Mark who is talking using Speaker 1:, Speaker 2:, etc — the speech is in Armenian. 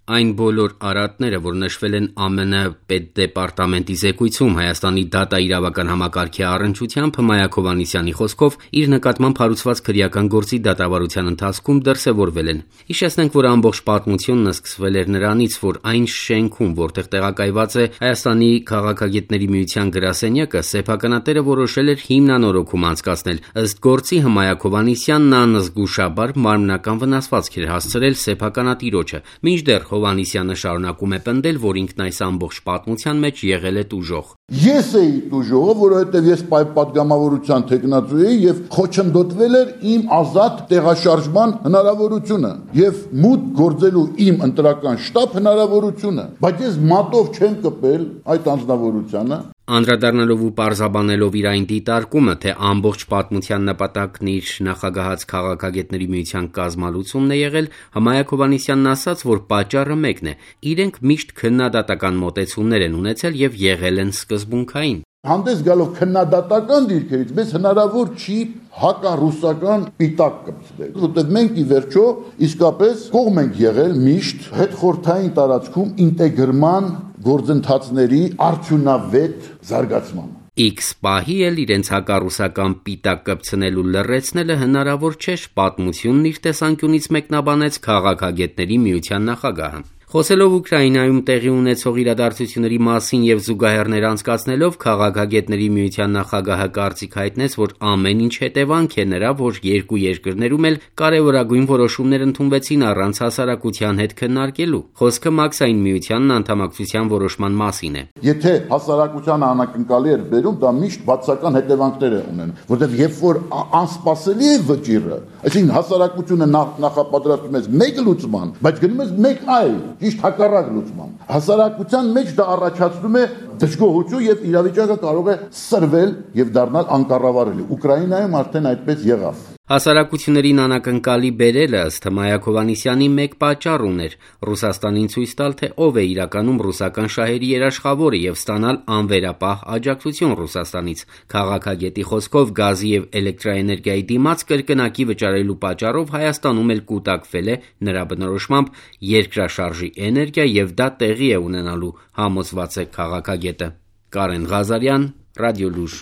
Speaker 1: Այն բոլոր արատները, որ նշվել են ԱՄՆ պետդեպարտամենտի զեկույցում Հայաստանի դատաիրավական համակարգի առնչությամբ, Հմայակ Հովհաննիսյանի խոսքով իր նկատմամբ հարուցված քրեական գործի դատավարության ընթացքում դրսևորվել են։ Հիշեցնենք, որ ամբողջ պատմությունն սկսվել էր նրանից, որ այն շենքում, որտեղ տեղակայված է Հայաստանի քաղաքագետների միության գրասենյակը, սեփականատերը որոշել էր հիմնանորոգում անցկացնել։ Ըստ գործի Հմայակ Հովհաննիսյանն անզգուշաբար մարմնական վնասվածք էր հասցրել սեփականատիրոջը, մինչդեռ Հովհաննիսյանը շարունակում է պնդել, որ ինքն այս ամբողջ պատմության մեջ եղել է տուժող։
Speaker 2: Ես էի տուժողը, որովհետև ես պատգամավորության թեկնածու էի եւ խոչընդոտվել էր իմ ազատ տեղաշարժման հնարավորությունը եւ մուտք գործելու իմ ընտրական շտաբ հնարավորությունը, բայց ես մատով չեմ կպել այդ անձնավորությանը։
Speaker 1: Անդրադառնալով ու պարզաբանելով իր այն դիտարկումը, թե ամբողջ պատմության նպատակն իր նախագահած քաղաքագետների միության կազմալուծումն է եղել, Հմայակ Հովհաննիսյանն ասաց, որ պատճառը մեկն է՝ իրենք միշտ քննադատական մոտեցումներ են ունեցել եւ եղել են սկզբունքային։
Speaker 2: Հանդես գալով քննադատական դիրքերից մեզ հնարավոր չի հակառուսական պիտակ կպցնել, որովհետև մենք ի վերջո իսկապես կողմ ենք եղել միշտ հետխորհրդային տարածքում ինտեգրման գործընթացների արդյունավետ զարգացման։
Speaker 1: X պահի էլ իրենց հակառուսական պիտակ կպցնելու լռեցնելը հնարավոր չէ, պատմությունն իր տեսանկյունից մեկնաբանեց քաղաքագետների միության նախագահը։ Խոսելով Ուկրաինայում տեղի ունեցող իրադարձությունների մասին եւ զուգահեռներ անցկացնելով, քաղաքագետների միության նախագահը կարծիք հայտնեց, որ ամեն ինչ հետևանք է նրա, որ երկու երկրներում էլ կարևորագույն որոշումներ ընդունվեցին առանց հասարակության հետ քննարկելու։ Խոսքը մաքսային միությանն անդամակցության որոշման մասին է։
Speaker 2: Եթե հասարակությանը անակնկալի էր բերում, դա միշտ բացական հետևանքներ է ունեն, որովհետև երբ որ անսպասելի է վճիռը, այսինքն հասարակությունը նախապատրաստում է մեկ լուծման, բայց գնում է մեկ այլ, ճիշտ հակառակ լուծման։ Հասարակության մեջ դա առաջացնում է դժգոհություն եւ իրավիճակը կարող է սրվել եւ դառնալ անկառավարելի։ Ուկրաինայում արդեն այդպես եղավ։
Speaker 1: Հասարակություններին անակնկալի բերելը ըստ Հմայակ Հովհաննիսյանի մեկ պատճառ ուներ՝ Ռուսաստանին ցույց տալ, թե ով է իրականում ռուսական շահերի երաշխավորը եւ ստանալ անվերապահ աջակցություն Ռուսաստանից։ Քաղաքագետի խոսքով գազի եւ էլեկտրաէներգիայի դիմաց կրկնակի վճարելու պատճառով Հայաստանում էլ կուտակվել է նրա բնորոշմամբ երկրաշարժի էներգիա եւ դա տեղի է ունենալու, համոզված է քաղաքագետը։ Կարեն Ղազարյան, Ռադիոլուր։